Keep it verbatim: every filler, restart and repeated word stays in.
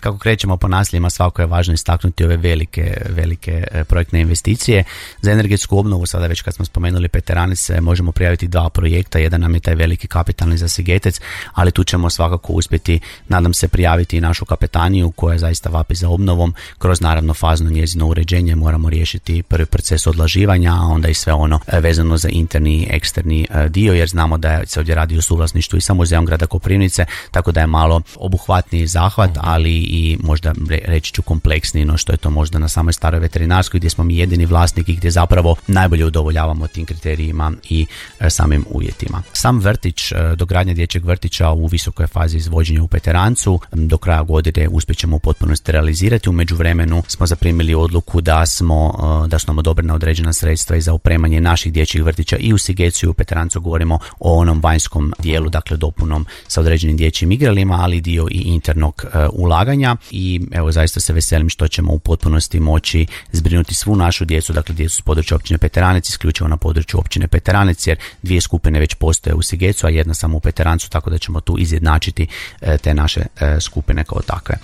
Kako krećemo po naseljima, svako je važno istaknuti ove velike, velike projektne investicije. Za energetsku obnovu, sada već kad smo spomenuli Peteranice, možemo prijaviti dva projekta. Jedan nam je taj veliki kapitalni za Sigetec, ali tu ćemo svakako uspjeti, nadam se, prijaviti i našu kapetaniju koja zaista vapi za obnovom. Kroz naravno fazno njezino uređenje moramo riješiti prvi proces odlaživanja, a onda i sve ono vezano za interni i eksterni dio, jer znamo da se ovdje radi o suvlasništvu i sa muzejom grada Koprivnice, tako da je malo obuhvatniji zahvat, ali i možda reći ću kompleksniji no što je to možda na samoj staroj veterinarskoj, gdje smo mi jedini vlasnik i gdje zapravo najbolje udovoljavamo tim kriterijima i e, samim uvjetima. Sam vrtić, e, dogradnja dječjeg vrtića u visokoj fazi izvođenja u Peterancu, do kraja godine uspjećemo u potpunosti realizirati. U međuvremenu smo zaprimili odluku da smo e, da su nam odobrena određena sredstva i za opremanje naših dječjih vrtića i u Sigecu i u Peterancu. Govorimo o onom vanjskom dijelu, dakle dopunom sa određenim dječjim igralima, ali dio i internog e, ulaganja. I evo, zaista se veselim što ćemo u potpunosti moći zbrinuti svu našu djecu, dakle djecu s područja općine Peteranec, isključivo na području općine Peteranec, jer dvije skupine već postoje u Sigecu, a jedna samo u Peterancu, tako da ćemo tu izjednačiti e, te naše e, skupine kao takve.